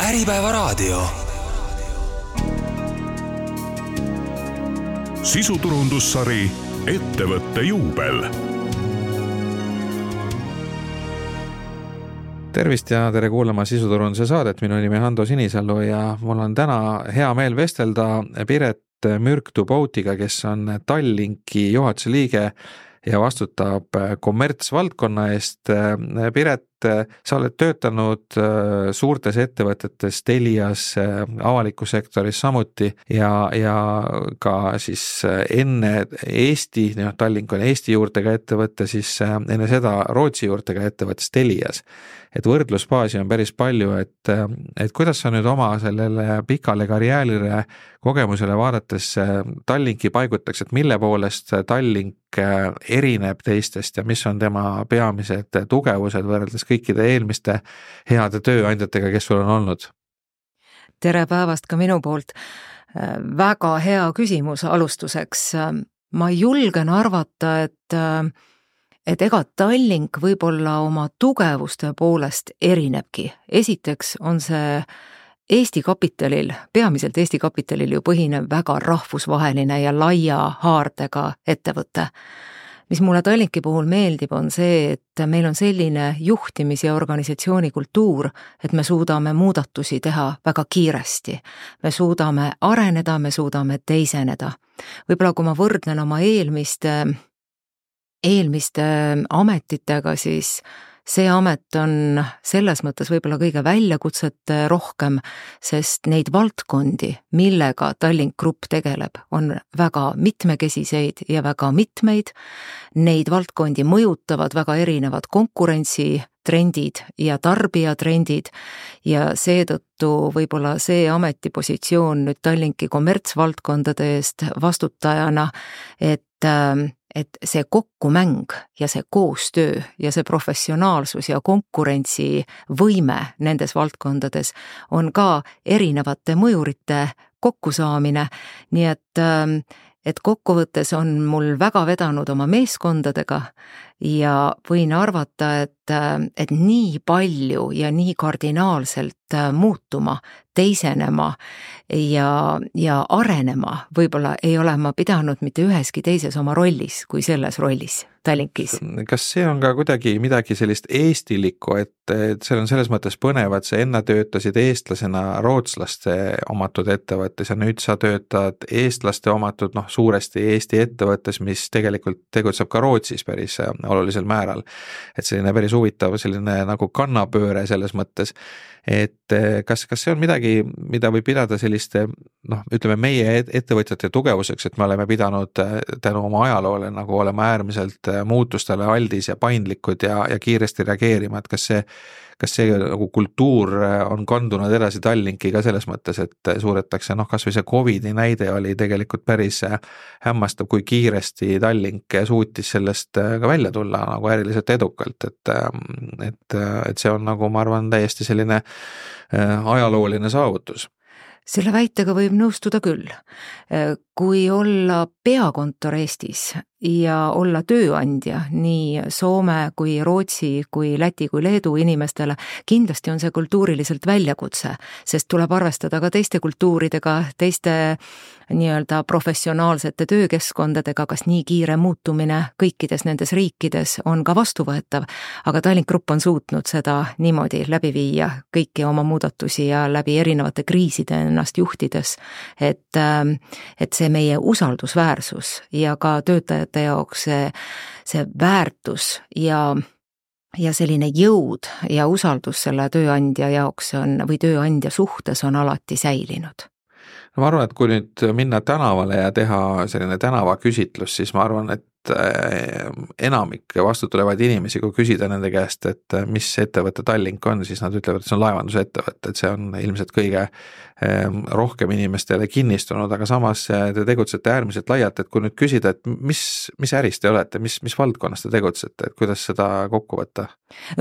Äripäevaraadio. Sisuturundussari Ettevõtte juubel. Tervist ja tere kuulama Sisuturunduse saadet. Minu nimi Hando Sinisalu ja mul on täna hea meel vestelda Piret Mürk-Tuboutiga, kes on Tallinki juhatuse liige ja vastutab kommertsvaldkonna eest. Piret, sa oled töötanud suurtes ettevõtetes, Telias, avalikus sektoris samuti ja ka siis enne Eesti, Tallink on Eesti juurtega ettevõte, siis enne seda Rootsi juurtega ettevõttes Telias. Et võrdlusbaasi on päris palju, et kuidas sa nüüd oma sellele pikale karjäärile kogemusele vaadates Tallinki paigutaks, et mille poolest Tallink erineb teistest ja mis on tema peamised tugevused võrreldes kõikide eelmiste heade tööandjatega, kes sul on olnud? Tere päevast ka minu poolt. Väga hea küsimus alustuseks. Ma julgen arvata, et ega Tallink võib-olla oma tugevuste poolest erinebki. Esiteks on see Eesti kapitalil, peamiselt Eesti kapitalil ju põhinev väga rahvusvaheline ja laia haardega ettevõte. Mis mulle Tallinki puhul meeldib, on see, et meil on selline juhtimis- ja organisatsiooni kultuur, et me suudame muudatusi teha väga kiiresti. Me suudame areneda, me suudame teiseneda. Võib-olla kui ma võrdlen oma eelmiste ametitega, siis see amet on selles mõttes võib-olla kõige väljakutset rohkem, sest neid valdkondi, millega Tallink Grupp tegeleb, on väga mitmekesiseid ja väga mitmeid. Neid valdkondi mõjutavad väga erinevad konkurentsitrendid ja tarbijatrendid ja seetõttu võib-olla see ametipositsioon nüüd Tallinki kommertsvaldkondade eest vastutajana, et see kokkumäng ja see koostöö ja see professionaalsus ja konkurentsivõime nendes valdkondades on ka erinevate mõjurite kokkusaamine, nii et kokkuvõttes on mul väga vedanud oma meeskondadega ja võin arvata, et nii palju ja nii kardinaalselt muutuma, teisenema ja arenema võib-olla ei ole ma pidanud mitte üheski teises oma rollis kui selles rollis Tallinkis. Kas see on ka kuidagi midagi sellist eestilikku, et see on selles mõttes põnev, et sa enne töötasid eestlasena rootslaste omatud ettevõttes ja nüüd sa töötad eestlaste omatud, suuresti Eesti ettevõttes, mis tegelikult tegutseb ka Rootsis päris olulisel määral. Et selline päris huvitav selline nagu kannapööre selles mõttes, et kas see on midagi, mida võib pidada selliste, ütleme meie ettevõtjate tugevuseks, et me oleme pidanud tänu oma ajaloole nagu olema äärmiselt muutustele aldis ja paindlikud ja kiiresti reageerima, et kas see nagu kultuur on kandunud edasi Tallinki ka selles mõttes, et suudetakse, kas või see COVID-i näide oli tegelikult päris hämmastav, kui kiiresti Tallink suutis sellest ka välja tulla nagu äriliselt edukalt, et see on nagu, ma arvan, täiesti selline ajalooline saavutus. Selle väitega võib nõustuda küll. Kui olla peakontor Eestis ja olla tööandja nii Soome kui Rootsi kui Läti kui Leedu inimestele, kindlasti on see kultuuriliselt väljakutse, sest tuleb arvestada ka teiste kultuuridega, teiste nii-öelda professionaalsete töökeskkondadega, kas nii kiire muutumine kõikides nendes riikides on ka vastuvõetav, aga Tallink Grupp on suutnud seda niimoodi läbi viia kõiki oma muudatusi ja läbi erinevate kriiside ennast juhtides, et see meie usaldusväärsus ja ka töötajate jaoks see väärtus ja selline jõud ja usaldus selle tööandja jaoks või tööandja suhtes on alati säilinud. Ma arvan, et kui nüüd minna tänavale ja teha selline tänavaküsitlus, siis ma arvan, et enamik vastutulevaid inimesi, kui küsida nende käest, et mis ettevõte Tallink on, siis nad ütlevad, et see on laevandusettevõte, et see on ilmselt kõige rohkem inimestele kinnistunud, aga samas te tegutsete äärmiselt laialt, et kui nüüd küsida, et mis äris te olete, mis valdkonnas te tegutsete, et kuidas seda kokku võtta?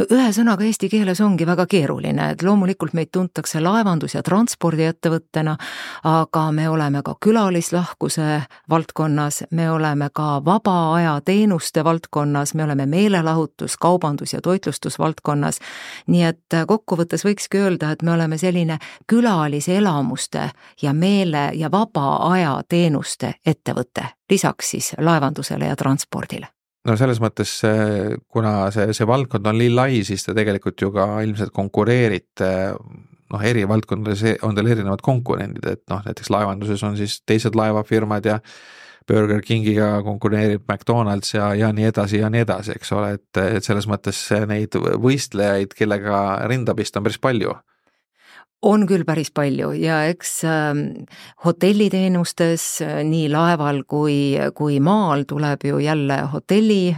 Ühe sõnaga eesti keeles ongi väga keeruline, et loomulikult meid tuntakse laevandus- ja transpordiettevõttena, aga me oleme ka külalislahkuse valdkonnas, me oleme ka vaba aja teenuste valdkonnas, me oleme meelelahutus, kaubandus ja toitlustusvaldkonnas, nii et kokkuvõttes võikski öelda, et me oleme selline külaliselamuste ja meele- ja vaba aja teenuste ettevõte, lisaks siis laevandusele ja transpordile. No selles mõttes, kuna see valdkond on nii lai, siis te tegelikult ju ka ilmselt konkureerite, eri valdkondades on teil erinevad konkurendid, et näiteks laevanduses on siis teised laevafirmad ja Burger Kingiga konkureerib McDonald's ja nii edasi, eks ole, et selles mõttes neid võistlejaid, kellega rinda pista on päris palju. On küll päris palju ja eks hotelliteenustes nii laeval kui maal tuleb ju jälle hotelli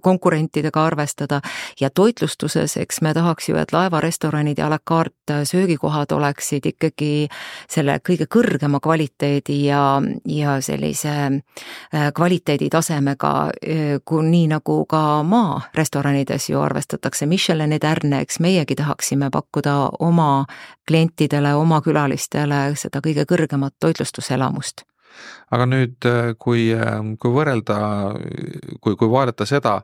konkurentidega arvestada ja toitlustuses, eks me tahaks ju, et laevarestoranid ja à la carte söögikohad oleksid ikkagi selle kõige kõrgema kvaliteedi ja sellise kvaliteeditasemega, nii nagu ka maarestoranides ju arvestatakse Michelini tärne, eks meiegi tahaksime pakkuda oma klientidele, oma külalistele seda kõige kõrgemat toitlustuselamust. Aga nüüd, kui võrrelda, kui vaadata seda,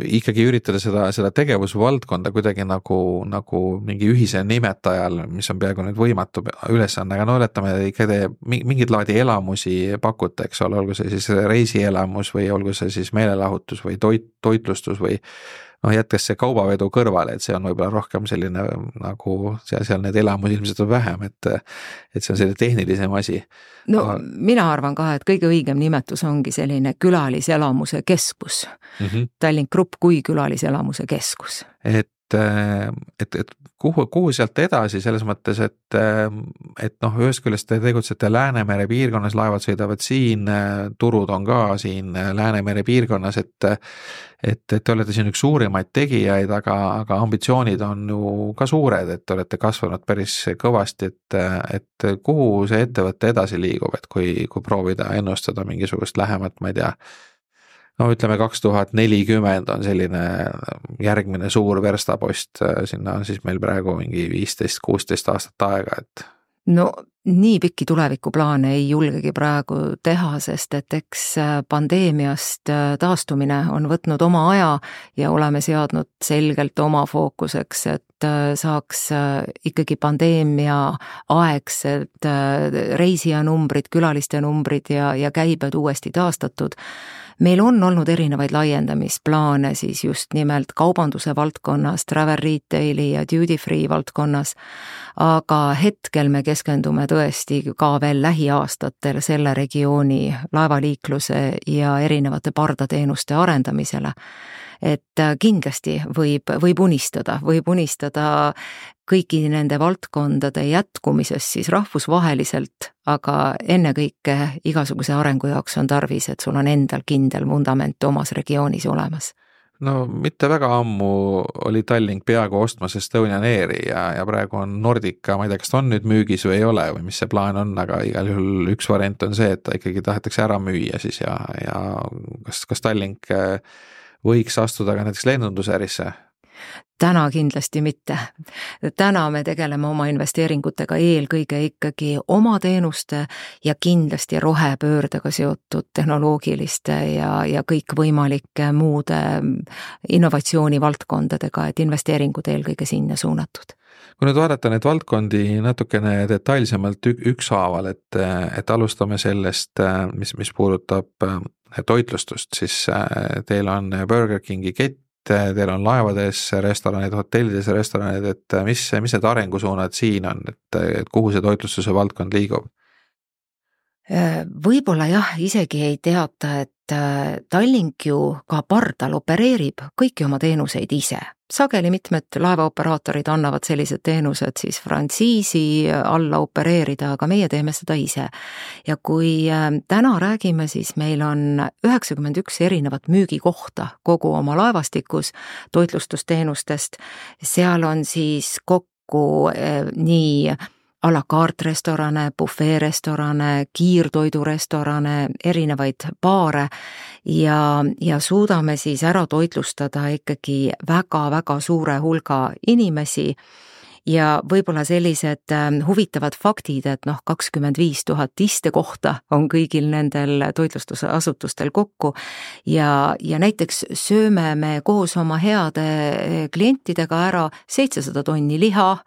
ikkagi üritada seda tegevusvaldkonda kuidagi nagu mingi ühise nimetajal, mis on peaaegu nüüd võimatu ülesanne, aga oletame, ikka te mingid laadi elamusi pakute, eks ole, olgu see siis reisielamus või olgu see siis meelelahutus või toitlustus või jätkes see kaubavedu kõrvale, et see on võib-olla rohkem selline nagu seal need elamusi ilmselt on vähem, et see on selline tehnilisem asi. No mina arvan ka, et kõige õigem nimetus ongi selline külaliselamuse keskus. Tallink Grupp kui külaliselamuse keskus. Et kuhu sealt edasi selles mõttes, et ühest küljest te tegutsete Läänemere piirkonnas, laevad sõidavad siin, turud on ka siin Läänemere piirkonnas, et te olete siin üks suurimaid tegijaid, aga ambitsioonid on ju ka suured, et te olete kasvanud päris kõvasti, et kuhu see ettevõte edasi liigub, et kui proovida ennustada mingisugust lähemat, ma ei tea, ütleme 2040 on selline järgmine suur verstapost, sinna on siis meil praegu mingi 15-16 aastat aega, et no nii pikki tulevikuplaane ei julgegi praegu teha, sest et eks pandeemiast taastumine on võtnud oma aja ja oleme seadnud selgelt oma fookuseks, et saaks ikkagi pandeemia aegsed reisijanumbrid, külaliste numbrid ja käibed uuesti taastatud. Meil on olnud erinevaid laiendamisplaane siis just nimelt kaubanduse valdkonnas, travel retaili ja duty free valdkonnas, aga hetkel me keskendume tõesti ka veel lähiaastatel selle regiooni laevaliikluse ja erinevate pardateenuste arendamisele. Et kindlasti võib unistada kõigi nende valdkondade jätkumisest siis rahvusvaheliselt, aga ennekõike igasuguse arengu jaoks on tarvis, et sul on endal kindel vundament omas regioonis olemas. No mitte väga ammu oli Tallink peaaegu ostmas Estonian Airi ja praegu on Nordica, ma ei tea, kas ta on nüüd müügis või ei ole või mis see plaan on, aga igal juhul üks variant on see, et ta ikkagi tahetakse ära müüa siis ja kas Tallink võiks astuda ka näiteks lennundusärisse? Täna kindlasti mitte. Täna me tegeleme oma investeeringutega eelkõige ikkagi oma teenuste ja kindlasti rohepöördega seotud tehnoloogiliste ja kõikvõimalike muude innovatsioonivaldkondadega, et investeeringud eelkõige sinna suunatud. Kui nüüd vaadata neid valdkondi natukene detailsemalt ükshaaval, et alustame sellest, mis puudutab toitlustust, siis teil on Burger Kingi kett, teil on laevades restoranid, hotellides restoranid, et mis need arengusuunad siin on, et kuhu see toitlustuse valdkond liigub? Võib-olla jah, isegi ei teata, et Tallink ju ka pardal opereerib kõiki oma teenuseid ise. Sageli mitmed laevaoperaatorid annavad sellised teenused siis frantsiisi alla opereerida, aga meie teeme seda ise. Ja kui täna räägime, siis meil on 91 erinevat müügikohta kogu oma laevastikus toitlustusteenustest. Seal on siis kokku nii à la carte restorane, buffet restorane, kiirtoidurestorane, erinevaid baare ja suudame siis ära toitlustada ikkagi väga-väga suure hulga inimesi ja võib-olla sellised huvitavad faktid, et 25 000 istekohta on kõigil nendel toitlustusasutustel kokku ja näiteks sööme me koos oma heade klientidega ära 700 tonni liha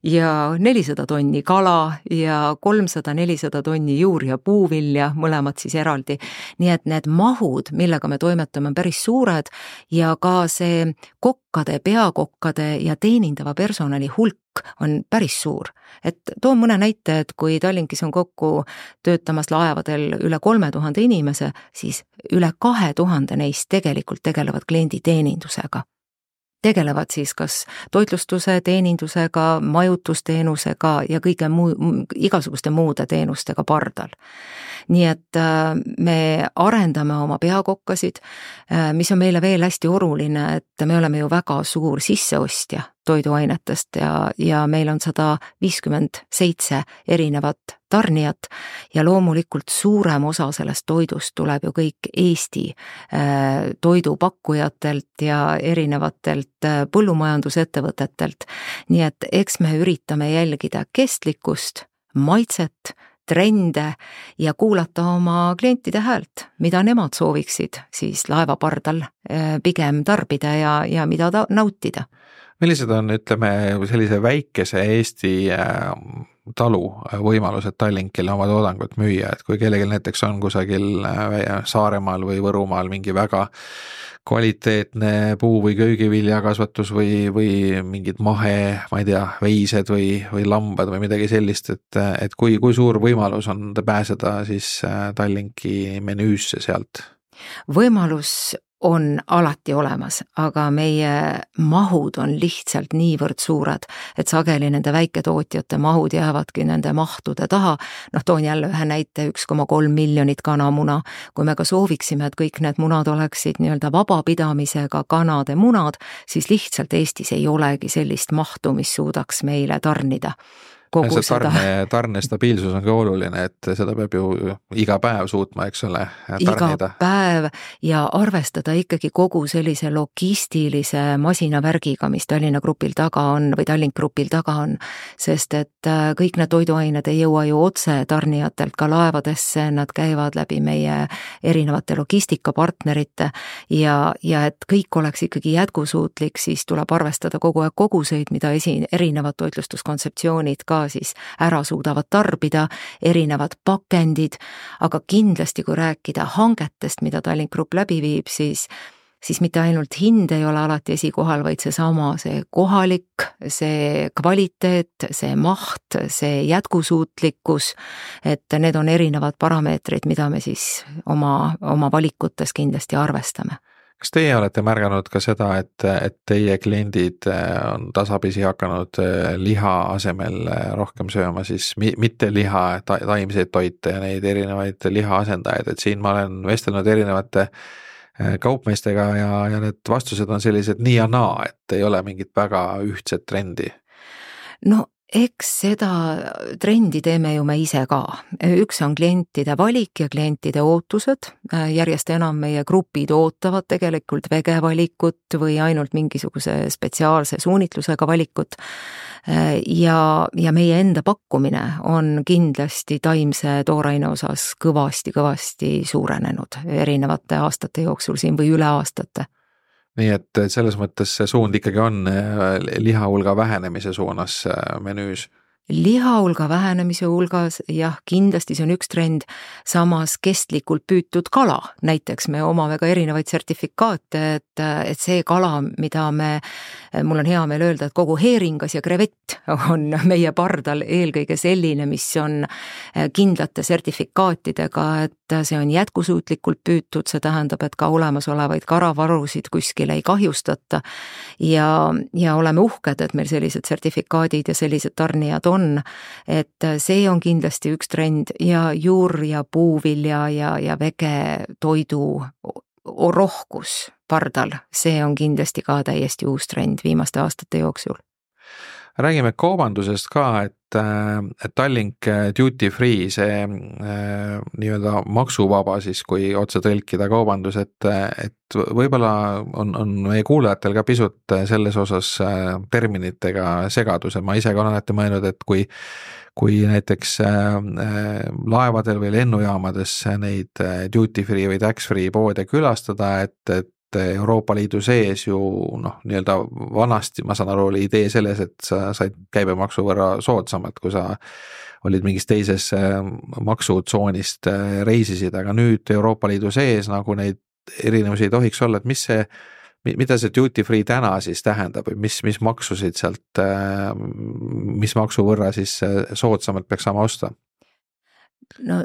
ja 400 tonni kala ja 300-400 tonni juur- ja puuvilja, mõlemad siis eraldi. Nii et need mahud, millega me toimetame, on päris suured ja ka see kokkade, peakokkade ja teenindava personali hulk on päris suur. Et toon mõne näite, et kui Tallinkis on kokku töötamas laevadel üle 3000 inimese, siis üle 2000 neist tegelikult tegelevad klienditeenindusega. Tegelevad siis kas toitlustuse teenindusega, majutusteenusega ja igasuguste muude teenustega pardal. Nii et me arendame oma peakokkasid, mis on meile veel hästi oluline, et me oleme ju väga suur sisseostja toiduainetest ja meil on 157 erinevat tarnijat ja loomulikult suurem osa sellest toidust tuleb ju kõik Eesti toidupakkujatelt ja erinevatelt põllumajandusettevõtetelt. Nii et eks me üritame jälgida kestlikkust, maitset, trende ja kuulata oma klientide häält, mida nemad sooviksid siis laevapardal pigem tarbida ja mida nautida. Millised on, ütleme, sellise väikese Eesti talu võimalused Tallinkile oma toodangut müüa, et kui kellelgi näiteks on kusagil Saaremaal või Võrumaal mingi väga kvaliteetne puu- või köögiviljakasvatus või mingid mahe, ma ei tea, veised või lambad või midagi sellist, et kui suur võimalus on pääseda siis Tallinki menüüsse sealt? Võimalus on alati olemas, aga meie mahud on lihtsalt niivõrd suured, et sageli nende väiketootjate mahud jäävadki nende mahtude taha. Toon jälle ühe näite, 1,3 miljonit kanamuna. Kui me ka sooviksime, et kõik need munad oleksid nii-öelda vabapidamisega kanade munad, siis lihtsalt Eestis ei olegi sellist mahtu, mis suudaks meile tarnida. Tarne stabiilsus on ka oluline, et seda peab ju iga päev suutma, eks ole, tarnida. Iga päev ja arvestada ikkagi kogu sellise logistilise masinavärgiga, mis Tallinna Grupil taga on või Tallink Grupil taga on, sest et kõik need toiduained ei jõua ju otse tarnijatelt ka laevadesse, nad käivad läbi meie erinevate logistikapartnerite ja et kõik oleks ikkagi jätkusuutlik, siis tuleb arvestada kogu aeg koguseid, mida erinevad toitlustuskontseptsioonid ka siis ära suudavad tarbida, erinevad pakendid, aga kindlasti kui rääkida hangetest, mida Tallink Grupp läbi viib, siis mitte ainult hind ei ole alati esikohal, vaid see kohalik, see kvaliteet, see maht, see jätkusuutlikkus, et need on erinevad parameetrid, mida me siis oma valikutes kindlasti arvestame. Kas teie olete märganud ka seda, et teie kliendid on tasapisi hakanud liha asemel rohkem sööma siis mitte liha, taimseid toite ja neid erinevaid lihaasendajaid, et siin ma olen vestelnud erinevate kaupmeestega ja need vastused on sellised nii ja naa, et ei ole mingit väga ühtset trendi? Eks seda trendi teeme ju me ise ka. Üks on klientide valik ja klientide ootused. Järjest enam meie grupid ootavad tegelikult vegevalikut või ainult mingisuguse spetsiaalse suunitlusega valikut. Ja meie enda pakkumine on kindlasti taimse tooraine osas kõvasti suurenenud erinevate aastate jooksul siin või üle aastate. Nii et selles mõttes see suund ikkagi on lihahulga vähenemise suunas menüüs. Lihahulga vähenemise hulgas, jah, kindlasti see on üks trend, samas kestlikult püütud kala. Näiteks me omame ka erinevaid sertifikaate, et see kala, mida mul on hea meel öelda, et kogu heeringas ja krevett on meie pardal eelkõige selline, mis on kindlate sertifikaatidega, et see on jätkusuutlikult püütud, see tähendab, et ka olemasolevaid karavarusid kuskil ei kahjustata ja oleme uhked, et meil sellised sertifikaadid ja sellised tarnijad on, et see on kindlasti üks trend ja juur- ja puuvilja ja vegetoidu rohkus pardal, see on kindlasti ka täiesti uus trend viimaste aastate jooksul. Räägime kaubandusest ka, et Tallink duty free, see nii-öelda maksuvaba siis, kui otse tõlkida kaubandus, et võib-olla on meie kuulajatel ka pisut selles osas terminitega segadus, ma ise ka olen alati mõelnud, et kui näiteks laevadel või lennujaamades neid duty free või tax free poode külastada, et Euroopa Liidu sees ju nii-öelda vanasti, ma saan aru, oli idee selles, et sa said käibemaksu võrra soodsamalt, kui sa olid mingis teises maksutsoonist reisisid, aga nüüd Euroopa Liidu sees nagu neid erinevusi ei tohiks olla, et mida see duty free täna siis tähendab või mis maksusid sealt, mis maksu võrra siis soodsamalt peaks saama osta? No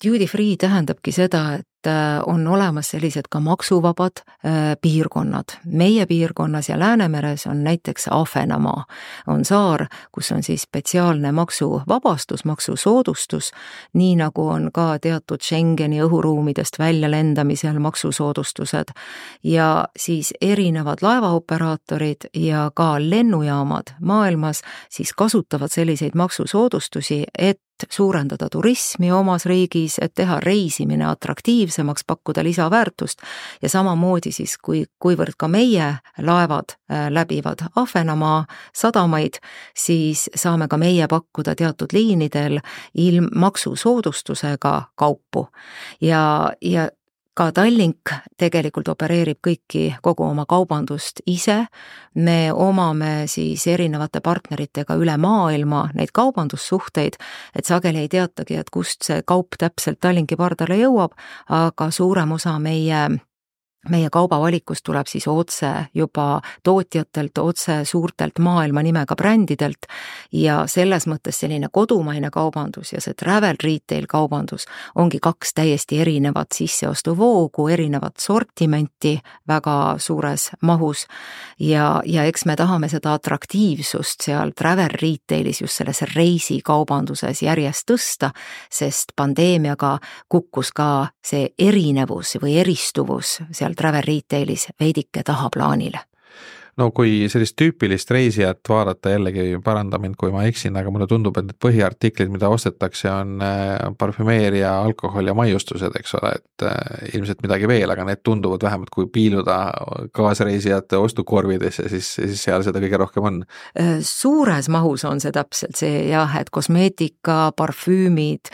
duty free tähendabki seda, et on olemas sellised ka maksuvabad piirkonnad. Meie piirkonnas ja Läänemeres on näiteks Ahvenamaa. On saar, kus on siis spetsiaalne maksuvabastus, maksusoodustus, nii nagu on ka teatud Schengeni õhuruumidest välja lendamisel maksusoodustused. Ja siis erinevad laevaoperaatorid ja ka lennujaamad maailmas siis kasutavad selliseid maksusoodustusi, et suurendada turismi omas riigis, et teha reisimine atraktiivsemaks, pakkuda lisaväärtust ja samamoodi siis, kuivõrd ka meie laevad läbivad Ahvenamaa sadamaid, siis saame ka meie pakkuda teatud liinidel maksusoodustusega kaupu ja ka Tallink tegelikult opereerib kogu oma kaubandust ise. Me omame siis erinevate partneritega üle maailma neid kaubandussuhteid, et sageli ei teatagi, et kust see kaup täpselt Tallinki pardale jõuab, aga suurem osa meie kaubavalikust tuleb siis otse juba tootjatelt, otse suurtelt maailma nimega brändidelt ja selles mõttes selline kodumaine kaubandus ja see travel retail kaubandus ongi kaks täiesti erinevat sisseostuvoogu, erinevat sortimenti väga suures mahus ja eks me tahame seda atraktiivsust seal travel retailis just selles reisikaubanduses järjest tõsta, sest pandeemiaga kukkus ka see erinevus või eristuvus seal travel retailis veidike tahaplaanile. No kui sellist tüüpilist reisijat vaadata, jällegi paranda mind, kui ma eksin, aga mulle tundub, et need põhiartiklid, mida ostetakse, on parfümeeria, alkohol ja maiustused, eks ole, et ilmselt midagi veel, aga need tunduvad vähemalt kui piiluda kaasreisijate ostukorvidesse, siis seal seda kõige rohkem on. Suures mahus on see täpselt see jah, et kosmeetika, parfüümid,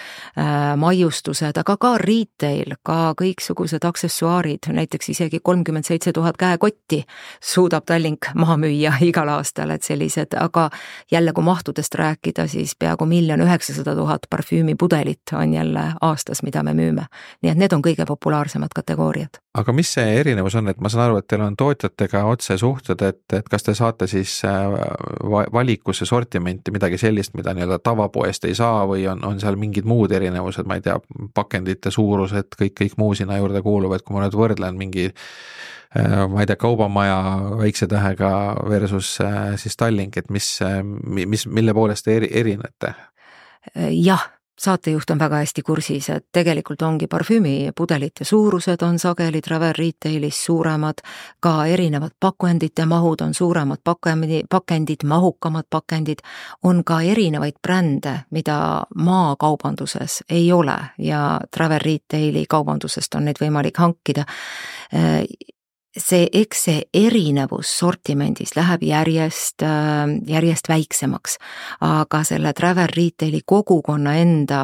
maiustused, aga ka retail, ka kõiksugused aksessuaarid, näiteks isegi 37 000 käekotti suudab Tallink maha müüa igal aastal, et sellised, aga jälle kui mahtudest rääkida, siis peaaegu 1 900 000 parfüümipudelit on jälle aastas, mida me müüme. Nii et need on kõige populaarsemad kategooriad. Aga mis see erinevus on, et ma saan aru, et teil on tootjatega otse suhted, et kas te saate siis valikusse sortimenti midagi sellist, mida nii-öelda tavapoest ei saa või on seal mingid muud erinevused, ma ei tea, pakendite suurused, kõik muu sinna juurde kuuluvad, kui ma nüüd võrdlen mingi ma ei tea, kaubamaja väikse tähega versus siis Tallink, et mille poolest te erinete? Jah, saatejuht on väga hästi kursis, et tegelikult ongi parfüümipudelite suurused on sageli travel retailis suuremad, ka erinevad pakendite mahud on suuremad pakendid, mahukamad pakendid, on ka erinevaid brände, mida maakaubanduses ei ole ja travel retaili kaubandusest on neid võimalik hankida. Eks see erinevus sortimendis läheb järjest väiksemaks, aga selle travel retaili kogukonna enda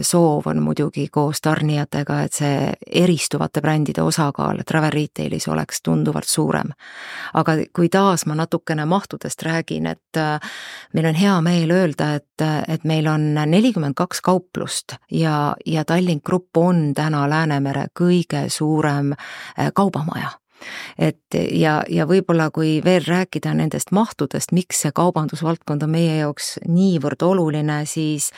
soov on muidugi koos tarnijatega, et see eristuvate brändide osakaal travel retailis oleks tunduvalt suurem. Aga kui taas ma natukene mahtudest räägin, et meil on hea meel öelda, et meil on 42 kauplust ja Tallink Grupp on täna Läänemere kõige suurem kaubamaja. Ja võib-olla kui veel rääkida nendest mahtudest, miks see kaubandusvaldkond on meie jaoks niivõrd oluline, siis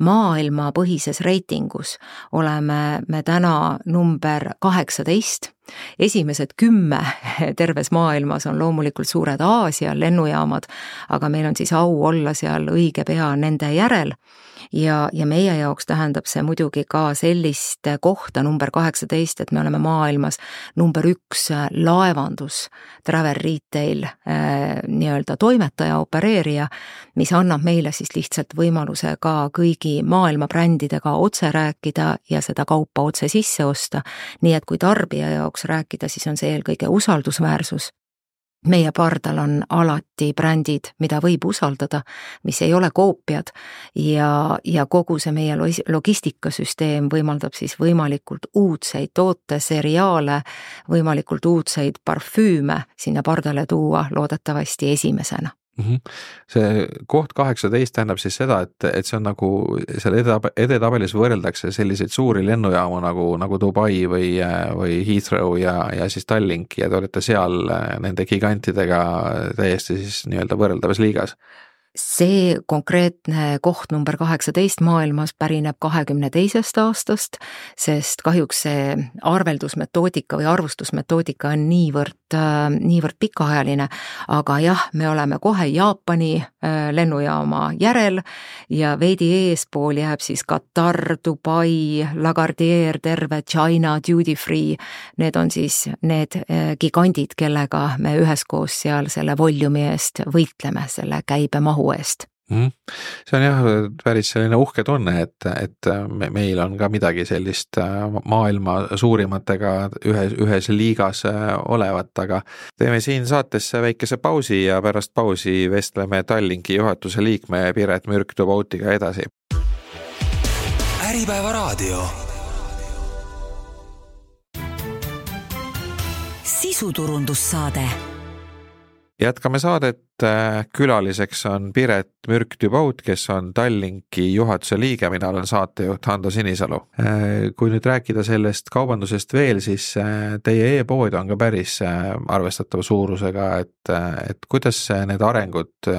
maailmapõhises reitingus oleme me täna number 18 Esimesed 10 terves maailmas on loomulikult suured Aasia lennujaamad, aga meil on siis au olla seal õige pea nende järel. Ja meie jaoks tähendab see muidugi ka sellist kohta number 18, et me oleme maailmas number 1 laevandus, travel retail nii-öelda toimetaja, opereerija, mis annab meile siis lihtsalt võimaluse ka kõigi maailma brändidega otse rääkida ja seda kaupa otse sisse osta. Nii et kui tarbija jaoks rääkida, siis on see eelkõige usaldusväärsus. Meie pardal on alati brändid, mida võib usaldada, mis ei ole koopiad ja kogu see meie logistikasüsteem võimaldab siis võimalikult uudseid tooteseriaale, võimalikult uudseid parfüüme sinna pardale tuua loodetavasti esimesena. See koht 18 tähendab siis seda, et see on nagu seal edetabelis võrreldakse selliseid suuri lennujaamu nagu Dubai või Heathrow ja siis Tallink ja te olete seal nende gigantidega täiesti siis nii-öelda võrreldavas liigas. See konkreetne koht number 18 maailmas pärineb 22. aastast, sest kahjuks see arveldusmetoodika või arvustusmetoodika on niivõrd pikaajaline, aga jah, me oleme kohe Jaapani lennujaama järel ja veidi eespool jääb siis Katar, Dubai, Lagardère, terve China, Duty Free. Need on siis need gigandid, kellega me üheskoos seal selle volumi eest võitleme, selle käibemahu eest. See on jah päris selline uhke tunne, et meil on ka midagi sellist maailma suurimatega ühes liigas olevat, aga teeme siin saatesse väikese pausi ja pärast pausi vestleme Tallinki juhatuse liikme Piret Mürk-Tubautiga edasi. Äripäeva raadio. Sisuturundussaade. Jätkame saadet, külaliseks on Piret Mürk-Tubaut, kes on Tallinki juhatuse liige, mina olen saatejuht Hando Sinisalu. Kui nüüd rääkida sellest kaubandusest veel, siis teie e-pood on ka päris arvestatava suurusega, et kuidas need arengud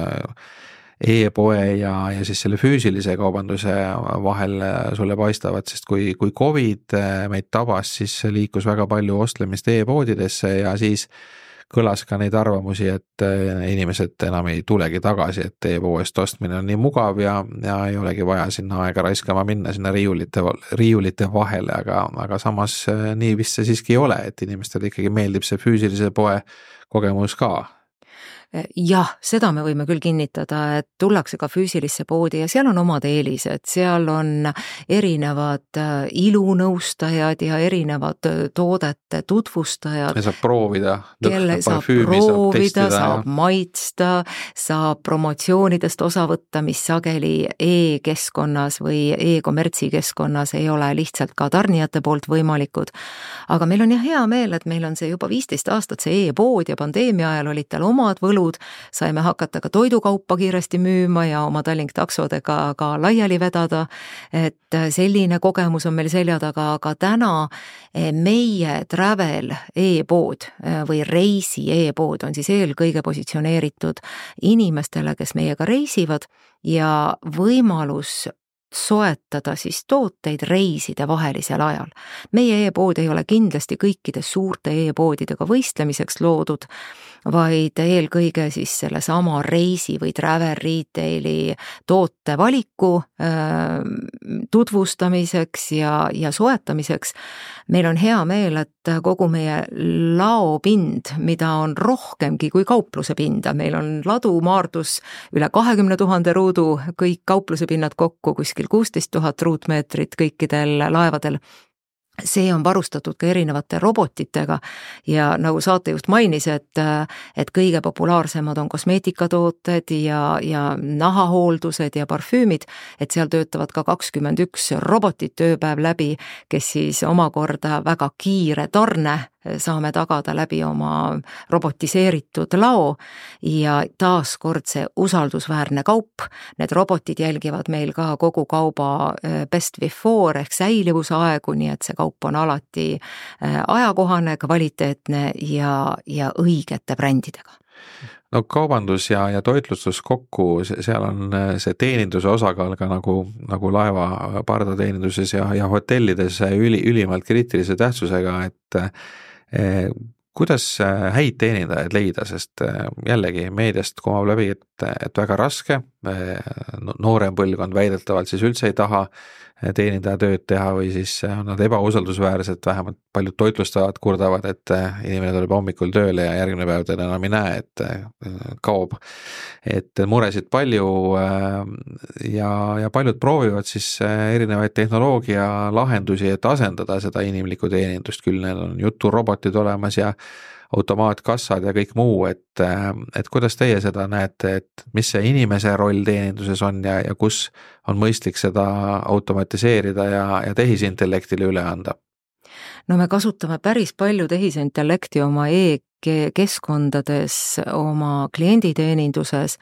e-poe ja siis selle füüsilise kaubanduse vahel sulle paistavad, sest kui COVID meid tabas, siis liikus väga palju ostlemist e-poodidesse ja siis kõlas ka neid arvamusi, et inimesed enam ei tulegi tagasi, et e-poest ostmine on nii mugav ja ei olegi vaja sinna aega raiskama minna sinna riiulite vahele, aga samas nii vist see siiski ei ole, et inimestele ikkagi meeldib see füüsilise poe kogemus ka. Jah, seda me võime küll kinnitada, et tullakse ka füüsilisse poodi ja seal on omad eelised, seal on erinevad ilunõustajad ja erinevad toodete tutvustajad. Ja saab proovida, saab maitsta, saab promotsioonidest osa võtta, mis sageli e-keskkonnas või e-kommertsi keskkonnas ei ole lihtsalt ka tarnijate poolt võimalikud. Aga meil on hea meel, et meil on see juba 15 aastat see e-pood ja pandeemia ajal olid tal omad võlud, saime hakata ka toidukaupa kiiresti müüma ja oma Tallink taksodega ka laiali vedada, et selline kogemus on meil selja taga, aga täna meie travel e-pood või reisi e-pood on siis eelkõige positsioneeritud inimestele, kes meiega reisivad ja võimalus soetada siis tooteid reiside vahelisel ajal. Meie e-pood ei ole kindlasti kõikide suurte e-poodidega võistlemiseks loodud, vaid eelkõige siis selle sama reisi või travel retaili toote valiku tutvustamiseks ja soetamiseks. Meil on hea meel, et kogu meie laopind, mida on rohkemgi kui kaupluse pinda, meil on ladu Maardus üle 20 000 ruudu, kõik kaupluse pinnad kokku kuskil 16 000 ruutmeetrit kõikidel laevadel. See on varustatud ka erinevate robotitega ja nagu saatejuht mainis, et kõige populaarsemad on kosmeetikatooted ja nahahooldused ja parfüümid, et seal töötavad ka 21 robotit ööpäev läbi, kes siis omakorda väga kiire tarne saame tagada läbi oma robotiseeritud lao ja taaskord see usaldusväärne kaup. Need robotid jälgivad meil ka kogu kauba best before ehk säilivusaegu, nii et see kaup on alati ajakohane, kvaliteetne ja õigete brändidega. No kaubandus ja toitlustus kokku, seal on see teeninduse osakaal ka nagu laeva pardateeninduses ja hotellides ülimalt kriitilise tähtsusega, Kuidas häid teenindajaid leida, sest jällegi meediast kumab läbi, et väga raske, noorem põlvkond väidetavalt siis üldse ei taha teenindaja tööd teha või siis on nad ebausaldusväärsed, vähemalt paljud toitlustajad kurdavad, et inimene tuleb hommikul tööle ja järgmine päev teda enam ei näe, et kaob. Et muresid palju ja paljud proovivad siis erinevaid tehnoloogia lahendusi, et asendada seda inimlikku teenindust, küll need on juturobotid olemas ja automaatkassad ja kõik muu, et kuidas teie seda näete, et mis see inimese roll teeninduses on ja kus on mõistlik seda automatiseerida ja tehisintellektile üle anda? No me kasutame päris palju tehisintellekti oma e-keskkondades, oma klienditeeninduses,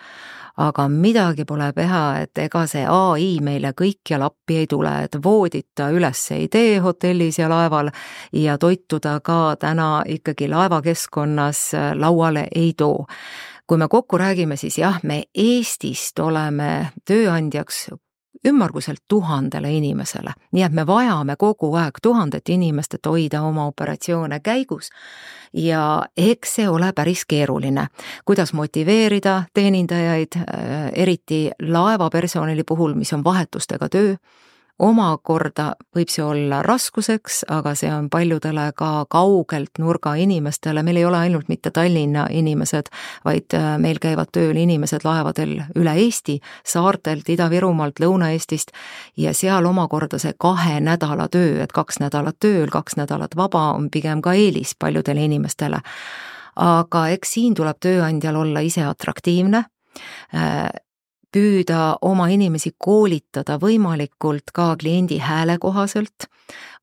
aga midagi pole teha, et ega see AI meile kõikjal appi ei tule, et voodita üles ei tee hotellis ja laeval ja toituda ka täna ikkagi laevakeskkonnas lauale ei too. Kui me kokku räägime, siis jah, me Eestist oleme tööandjaks ümmarguselt 1000 inimesele, nii et me vajame kogu aeg 1000 inimest, et hoida oma operatsioone käigus ja eks see ole päris keeruline. Kuidas motiveerida teenindajaid, eriti laevapersonali puhul, mis on vahetustega töö, omakorda võib see olla raskuseks, aga see on paljudele ka kaugelt nurga inimestele, meil ei ole ainult mitte Tallinna inimesed, vaid meil käivad tööl inimesed laevadel üle Eesti, saartelt, Ida-Virumaalt, Lõuna-Eestist ja seal omakorda see 2 nädala töö, et 2 nädalat tööl, 2 nädalat vaba on pigem ka eelis paljudele inimestele. Aga eks siin tuleb tööandjal olla ise atraktiivne, püüda oma inimesi koolitada võimalikult ka kliendi hääle kohaselt,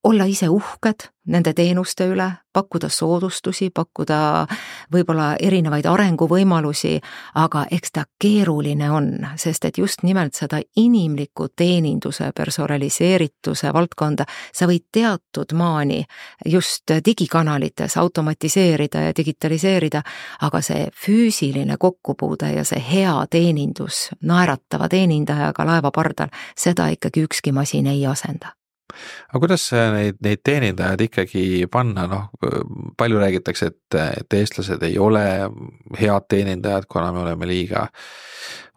olla ise uhked nende teenuste üle, pakkuda soodustusi, pakkuda võib-olla erinevaid arenguvõimalusi, aga eks ta keeruline on, sest et just nimelt seda inimliku teeninduse personaliseerituse valdkonda sa võid teatud maani just digikanalites automatiseerida ja digitaliseerida, aga see füüsiline kokkupuude ja see hea teenindus naeratava teenindajaga laevapardal, seda ikkagi ükski masin ei asenda. Aga kuidas neid teenindajad ikkagi panna, palju räägitakse, et eestlased ei ole head teenindajad, kuna me oleme liiga,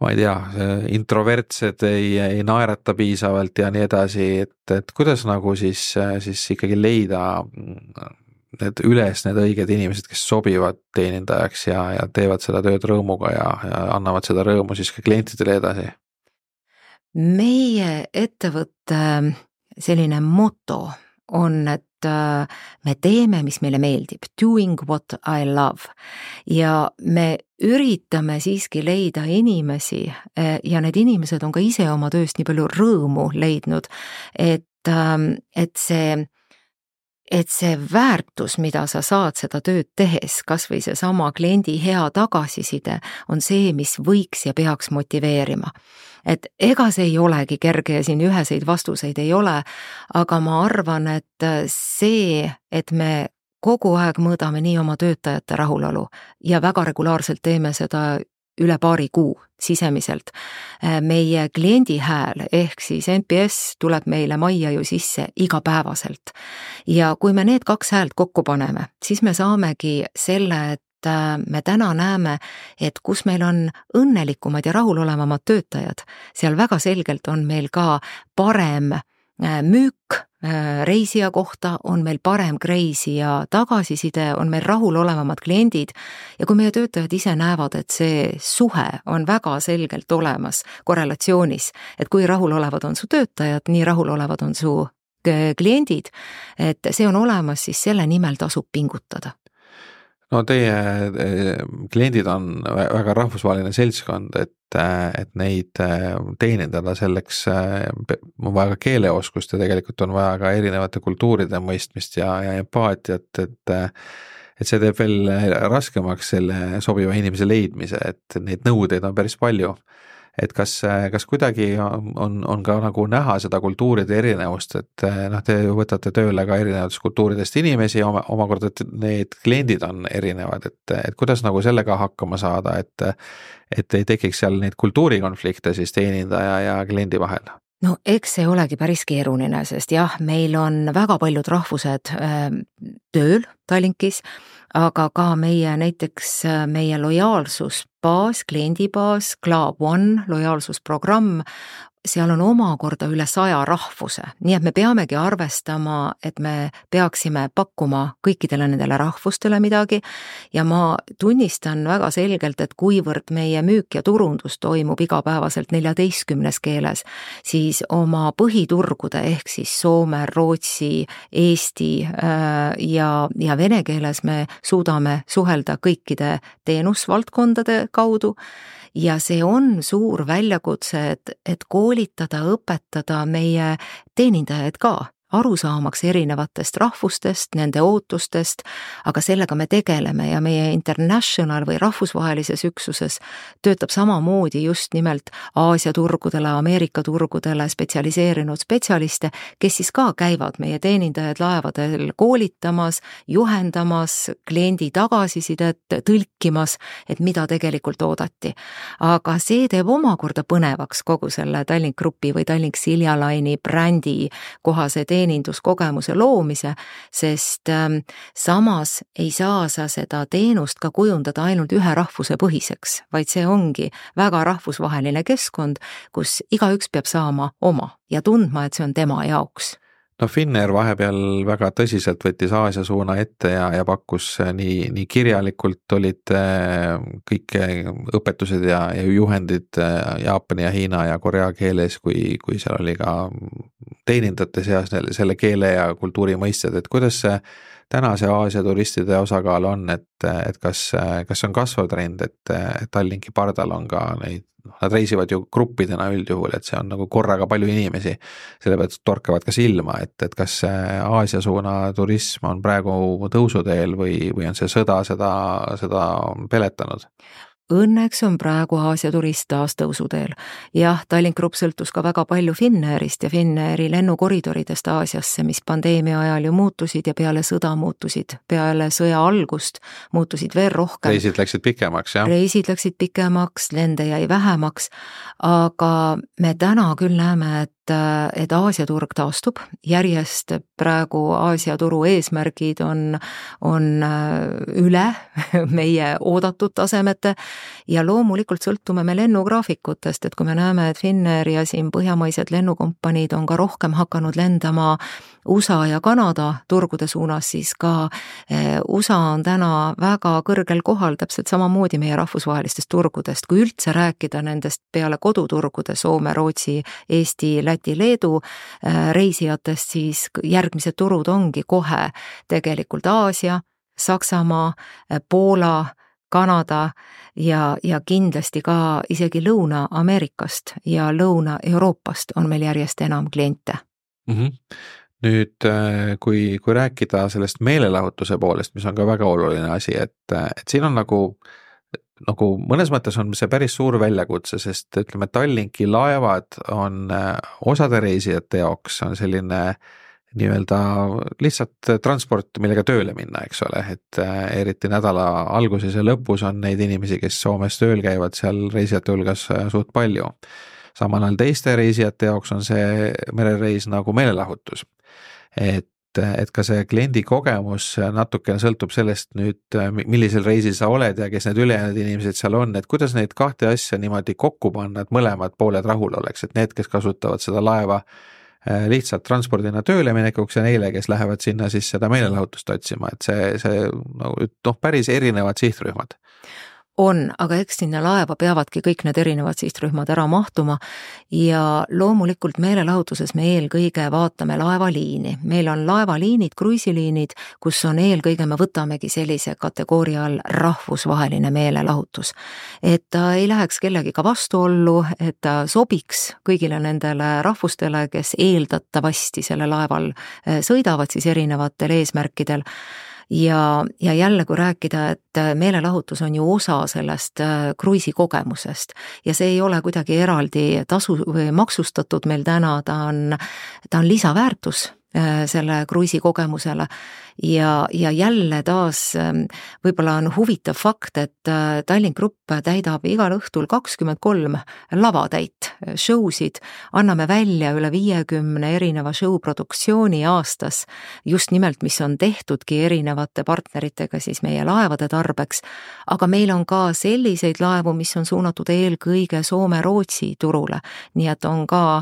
ma ei tea, introvertsed, ei naerata piisavalt ja nii edasi, et kuidas nagu siis ikkagi leida need õiged inimesed, kes sobivad teenindajaks ja teevad seda tööd rõõmuga ja annavad seda rõõmu siis ka klientidele edasi? Meie ettevõtte selline moto on, et me teeme, mis meile meeldib, doing what I love ja me üritame siiski leida inimesi ja need inimesed on ka ise oma tööst nii palju rõõmu leidnud, et see väärtus, mida sa saad seda tööd tehes, kas või see sama kliendi hea tagasiside, on see, mis võiks ja peaks motiveerima. Et ega see ei olegi kerge ja siin üheseid vastuseid ei ole, aga ma arvan, et see, et me kogu aeg mõõdame nii oma töötajate rahulolu ja väga regulaarselt teeme seda üle paari kuu sisemiselt. Meie kliendi hääl ehk siis NPS tuleb meile majja ju sisse igapäevaselt. Ja kui me need 2 häält kokku paneme, siis me saamegi selle, et me täna näeme, et kus meil on õnnelikumad ja rahulolevamad töötajad, seal väga selgelt on meil ka parem müük reisija kohta, on meil parem reisija tagasiside, on meil rahulolevamad kliendid ja kui meie töötajad ise näevad, et see suhe on väga selgelt olemas korrelatsioonis, et kui rahulolevad on su töötajad, nii rahulolevad on su kliendid, et see on olemas, siis selle nimel tasub pingutada. No teie kliendid on väga rahvusvaheline seltskond, et neid teenindada selleks on vaja ka keeleoskust ja tegelikult on vaja ka erinevate kultuuride mõistmist ja empaatiat, et see teeb veel raskemaks selle sobiva inimese leidmise, et neid nõudeid on päris palju. Et kas kuidagi on ka nagu näha seda kultuuride erinevust, et te võtate tööle ka erinevatest kultuuridest inimesi, omakorda need kliendid on erinevad, et kuidas nagu sellega hakkama saada, et ei tekiks seal neid kultuurikonflikte siis teenindaja ja kliendi vahel? No eks see olegi päris keeruline, sest jah, meil on väga paljud rahvused tööl Tallinkis, aga ka näiteks meie lojaalsusbaas, kliendibaas, Club One lojaalsusprogramm, seal on omakorda üle 100 rahvuse, nii et me peamegi arvestama, et me peaksime pakkuma kõikidele nendele rahvustele midagi ja ma tunnistan väga selgelt, et kuivõrd meie müük ja turundus toimub igapäevaselt 14 keeles, siis oma põhiturgude ehk siis Soome, Rootsi, Eesti ja vene keeles me suudame suhelda kõikide teenusvaldkondade kaudu. Ja see on suur väljakutse, et koolitada, õpetada meie teenindajaid ka, aru saamaks erinevatest rahvustest, nende ootustest, aga sellega me tegeleme ja meie international või rahvusvahelises üksuses töötab samamoodi just nimelt Aasia turgudele, Ameerika turgudele spetsialiseerinud spetsialiste, kes siis ka käivad meie teenindajaid laevadel koolitamas, juhendamas, kliendi tagasisidet tõlkimas, et mida tegelikult oodati. Aga see teeb omakorda põnevaks kogu selle Tallink Grupi või Tallink Silja Line'i brändi kohase teeninduskogemuse loomise, sest samas ei saa sa seda teenust ka kujundada ainult ühe rahvuse põhiseks, vaid see ongi väga rahvusvaheline keskkond, kus igaüks peab saama oma ja tundma, et see on tema jaoks. No Finnair vahepeal väga tõsiselt võttis Aasia suuna ette ja pakkus nii kirjalikult olid kõik õpetused ja juhendid Jaapani ja Hiina ja Korea keeles, kui seal oli ka teenindajate seas selle keele ja kultuuri mõisted, et kuidas see tänase Aasia turistide osakaal on, et kas on kasvav trend, et Tallinki pardal on ka neid, nad reisivad ju gruppidena üldjuhul, et see on nagu korraga palju inimesi, selle pealt torkavad ka silma, et kas Aasia suuna turism on praegu tõusuteel või on see sõda seda peletanud? Õnneks on praegu Aasia turist taas tõusuteel. Jah, Tallink Grupp sõltus ka väga palju Finnairist ja Finnairi lennukoridoridest Aasiasse, mis pandeemia ajal ju muutusid ja peale sõda muutusid, peale sõja algust muutusid veel rohkem. Reisid läksid pikemaks, jah? Reisid läksid pikemaks, lende jäi vähemaks, aga me täna küll näeme, et Aasia turg taastub, järjest praegu Aasia turu eesmärgid on üle meie oodatud tasemete ja loomulikult sõltume me lennugraafikutest, et kui me näeme, et Finnair ja siin põhjamaised lennukompaniid on ka rohkem hakanud lendama USA ja Kanada turgude suunas, siis ka USA on täna väga kõrgel kohal täpselt samamoodi meie rahvusvahelistest turgudest, kui üldse rääkida nendest peale koduturgude Soome, Rootsi, Eesti, Läti, Leedu reisijatest, siis järgmised turud ongi kohe tegelikult Aasia, Saksamaa, Poola, Kanada ja kindlasti ka isegi Lõuna-Ameerikast ja Lõuna-Euroopast on meil järjest enam kliente. Nüüd, kui rääkida sellest meelelahutuse poolest, mis on ka väga oluline asi, et siin on nagu mõnes mõttes on see päris suur väljakutse, sest ütleme, Tallinki laevad on osade reisijate jaoks on selline nii-öelda lihtsalt transport, millega tööle minna, eks ole, et eriti nädala alguses ja lõpus on neid inimesi, kes Soomes tööl käivad seal reisijate hulgas suht palju. Samal ajal teiste reisijate jaoks on see merereis nagu meelelahutus. Et ka see kliendi kogemus natukene sõltub sellest nüüd, millisel reisil sa oled ja kes need ülejäänud inimesed seal on, et kuidas neid kahte asja niimoodi kokku panna, et mõlemad pooled rahul oleks, et need, kes kasutavad seda laeva lihtsalt transpordina tööle minekuks ja neile, kes lähevad sinna siis seda meelelahutust otsima, et see päris erinevad sihtrühmad. On, aga eks sinna laeva peavadki kõik need erinevad sihtrühmad ära mahtuma ja loomulikult meelelahutuses me eelkõige vaatame laevaliini. Meil on laevaliinid, kruiisiliinid, kus on eelkõige me võtamegi sellise kategooria all rahvusvaheline meelelahutus. Et ta ei läheks kellegiga vastuollu, et ta sobiks kõigile nendele rahvustele, kes eeldatavasti selle laeval sõidavad siis erinevatel eesmärkidel. Ja jälle, kui rääkida, et meelelahutus on ju osa sellest kruiisi kogemusest ja see ei ole kuidagi eraldi tasu või maksustatud meil täna, ta on lisaväärtus selle kruiisi kogemusele ja jälle taas võib-olla on huvitav fakt, et Tallink Grupp täidab igal õhtul 23 lavatäit showsid, anname välja üle 50 erineva show produktsiooni aastas, just nimelt, mis on tehtudki erinevate partneritega siis meie laevade tarbeks, aga meil on ka selliseid laevu, mis on suunatud eelkõige Soome-Rootsi turule, nii et on ka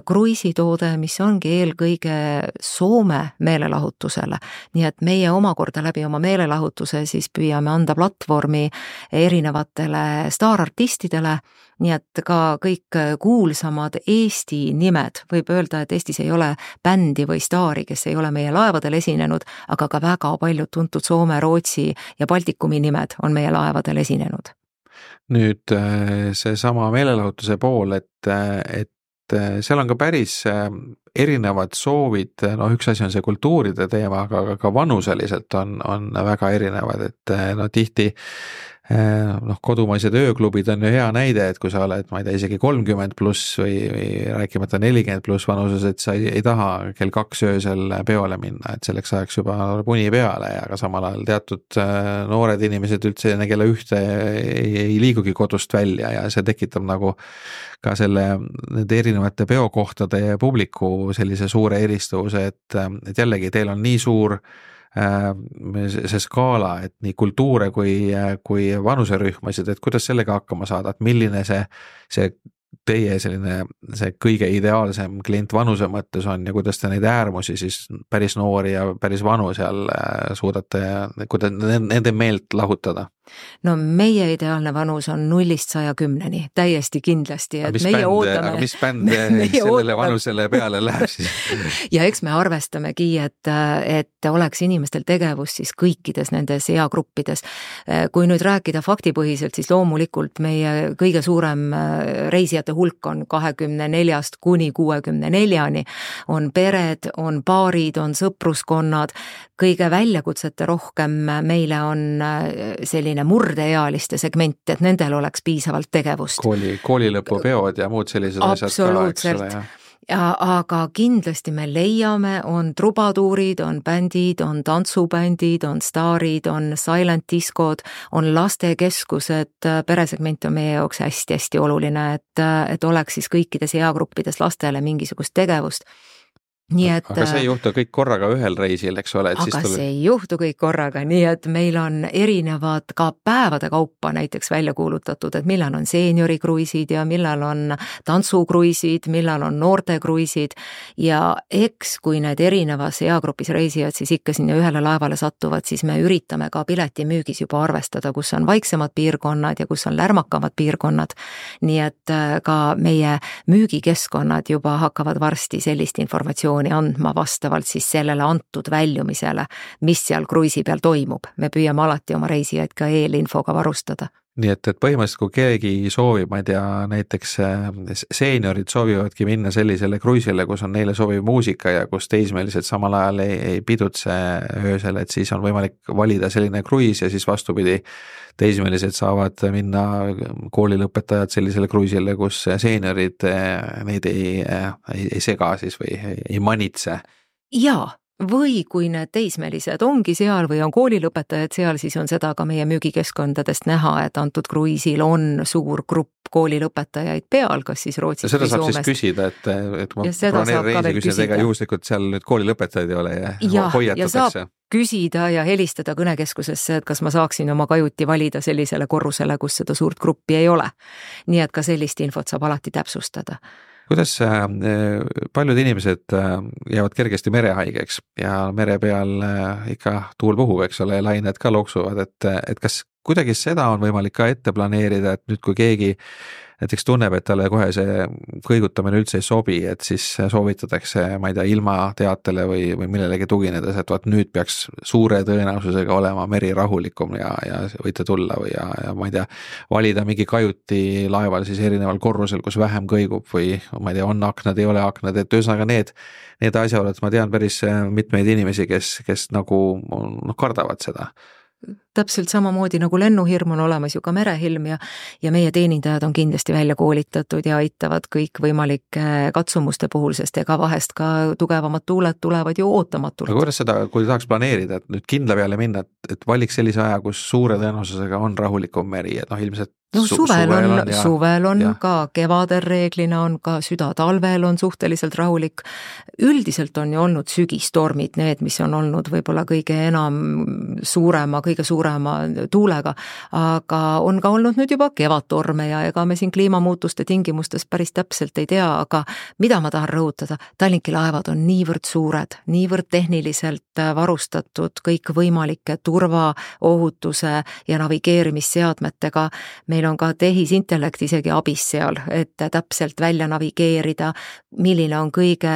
kruiisitoode, mis ongi eelkõige Soome meelelahutusele, nii et meie omakorda läbi oma meelelahutuse siis püüame anda platvormi erinevatele staarartistidele, nii et ka kõik kuulsamad Eesti nimed, võib öelda, et Eestis ei ole bändi või staari, kes ei ole meie laevadel esinenud, aga ka väga paljud tuntud Soome, Rootsi ja Baltikumi nimed on meie laevadel esinenud. Nüüd see sama meelelahutuse pool, et seal on ka päris erinevad soovid, üks asi on see kultuuride teema, aga ka vanuseliselt on väga erinevad, et tihti kodumaised ööklubid on ju hea näide, et kui sa oled, ma ei tea, isegi 30 pluss või rääkimata 40 pluss vanuses, et sa ei taha kell 2 öösel peole minna, et selleks ajaks juba uni peale, aga samal ajal teatud noored inimesed üldse enne kella 1 ei liigugi kodust välja ja see tekitab nagu ka nende erinevate peokohtade ja publiku sellise suure eristuvuse, et jällegi teil on nii suur see skaala, et nii kultuure kui vanuserühmasid, et kuidas sellega hakkama saada, et milline see teie see kõige ideaalsem klient vanuse mõttes on ja kuidas te neid äärmusi siis päris noori ja päris vanu seal suudate, kuidas nende meelt lahutada? No meie ideaalne vanus on 0-110, täiesti kindlasti, et meie ootame... Aga mis bänd sellele vanusele peale läheb siis? Ja eks me arvestamegi, et oleks inimestel tegevus siis kõikides nendes eagruppides. Kui nüüd rääkida faktipõhiselt, siis loomulikult meie kõige suurem reisijate hulk on 24 kuni 64, on pered, on paarid, on sõpruskonnad, kõige väljakutsete rohkem meile on selline murdeealiste segment, et nendel oleks piisavalt tegevust. Koolilõpupeod ja muud sellised asjad ka, eks ole. Aga kindlasti me leiame, on trubatuurid, on bändid, on tantsubändid, on staarid, on silent diskod, on lastekeskused, peresegment on meie jaoks hästi-hästi oluline, et oleks siis kõikides eagruppides lastele mingisugust tegevust. Aga see ei juhtu kõik korraga ühel reisil, eks ole? See ei juhtu kõik korraga, nii et meil on erinevad ka päevade kaupa näiteks välja kuulutatud, et millal on seeniorikruiisid ja millal on tantsukruiisid, millal on noortekruiisid ja eks kui need erinevas eagrupis reisijad siis ikka sinna ühele laevale satuvad, siis me üritame ka piletimüügis juba arvestada, kus on vaiksemad piirkonnad ja kus on lärmakamad piirkonnad, nii et ka meie müügikeskkonnad juba hakkavad varsti sellist informatsiooni andma vastavalt siis sellele antud väljumisele, mis seal kruiisi peal toimub. Me püüame alati oma reisijaid ka eelinfoga varustada. Nii et põhimõtteliselt kui keegi soovib, ma ei tea, näiteks seeniorid soovivadki minna sellisele kruiisile, kus on neile sobiv muusika ja kus teismelised samal ajal ei pidutse öösel, et siis on võimalik valida selline kruiis ja siis vastupidi, teismelised saavad minna koolilõpetajad sellisele kruiisile, kus seeniorid neid ei sega siis või ei manitse. Jaa. Või kui need teismelised ongi seal või on koolilõpetajad seal, siis on seda ka meie müügikeskkondadest näha, et antud kruiisil on suur grupp koolilõpetajaid peal, kas siis Rootsis või Soomest. Seda saab siis küsida, et ma planeerin reisi küsida, ega juhuslikult seal nüüd koolilõpetajaid ei ole ja hoiatatakse. Ja saab küsida ja helistada kõnekeskusesse, et kas ma saaksin oma kajuti valida sellisele korrusele, kus seda suurt gruppi ei ole. Nii et ka sellist infot saab alati täpsustada. Kuidas paljud inimesed jäävad kergesti merehaigeks ja mere peal ikka tuul puhub, eks ole, lained ka loksuvad, et kas kuidagi seda on võimalik ka ette planeerida, et nüüd kui keegi näiteks tunneb, et talle kohe see kõigutamine üldse ei sobi, et siis soovitatakse, ma ei tea, ilma teatele või millelegi tuginedes, et vaat nüüd peaks suure tõenäosusega olema meri rahulikum ja võite tulla või ja ma ei tea, valida mingi kajuti laeval siis erineval korrusel, kus vähem kõigub või ma ei tea, on aknad, ei ole aknad, et ühesõnaga need asjaolud, ma tean päris mitmeid inimesi, kes nagu kardavad seda. täpselt samamoodi nagu lennuhirm on olemas ju ka merehilm ja meie teenindajad on kindlasti välja koolitatud ja aitavad kõikvõimalike katsumuste puhul, sest ega vahest ka tugevamad tuuled tulevad ju ootamatult. Aga kuidas seda, kui tahaks planeerida, et nüüd kindla peale minna, et valiks sellise aja, kus suure tõenäosusega on rahulikum meri, et ilmselt suvel on ka, kevadel reeglina on ka, südatalvel on suhteliselt rahulik. Üldiselt on ju olnud sügistormid need, mis on olnud võib-olla kõige suurema tuulega, aga on ka olnud nüüd juba kevadtorme ja ega me siin kliimamuutuste tingimustes päris täpselt ei tea, aga mida ma tahan rõhutada, Tallinki laevad on niivõrd suured, niivõrd tehniliselt varustatud kõikvõimalike turvaohutuse ja navigeerimisseadmetega. Meil on ka tehisintellekt isegi abis seal, et täpselt välja navigeerida, milline on kõige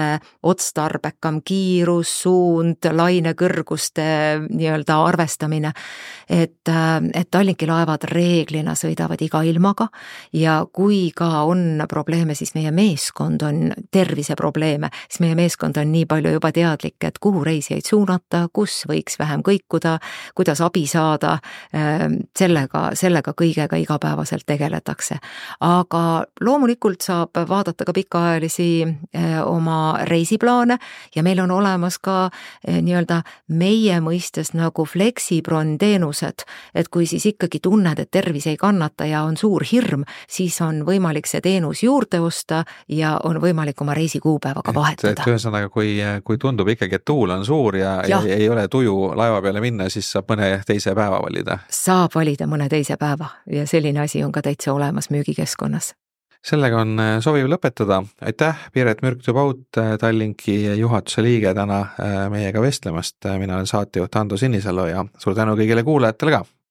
otstarbekam kiirus, suund, lainekõrguste nii-öelda arvestamine, et Tallinki laevad reeglina sõidavad iga ilmaga ja kui ka on probleeme, siis meie meeskond on terviseprobleeme, siis meie meeskond on nii palju juba teadlik, et kuhu reisijaid suunata, kus võiks vähem kõikuda, kuidas abi saada, sellega kõigega igapäevaselt tegeletakse. Aga loomulikult saab vaadata ka pikaajalisi oma reisiplaane ja meil on olemas ka nii-öelda meie mõistes nagu Flexibron teenused, et kui siis ikkagi tunned, et tervis ei kannata ja on suur hirm, siis on võimalik see teenus juurde osta ja on võimalik oma reisikuupäevaga vahetada. Ühesõnaga, kui tundub ikkagi, et tuul on suur ja ei ole tuju laeva peale minna, siis saab mõne teise päeva valida. Saab valida mõne teise päeva ja selline asi on ka täitsa olemas müügikeskkonnas. Sellega on sobiv lõpetada. Aitäh, Piret Mürk-Tubaut, Tallinki juhatuse liige täna meiega vestlemast. Mina olen saatejuht Ando Sinisalu ja suur tänu kõigile kuulajatele ka.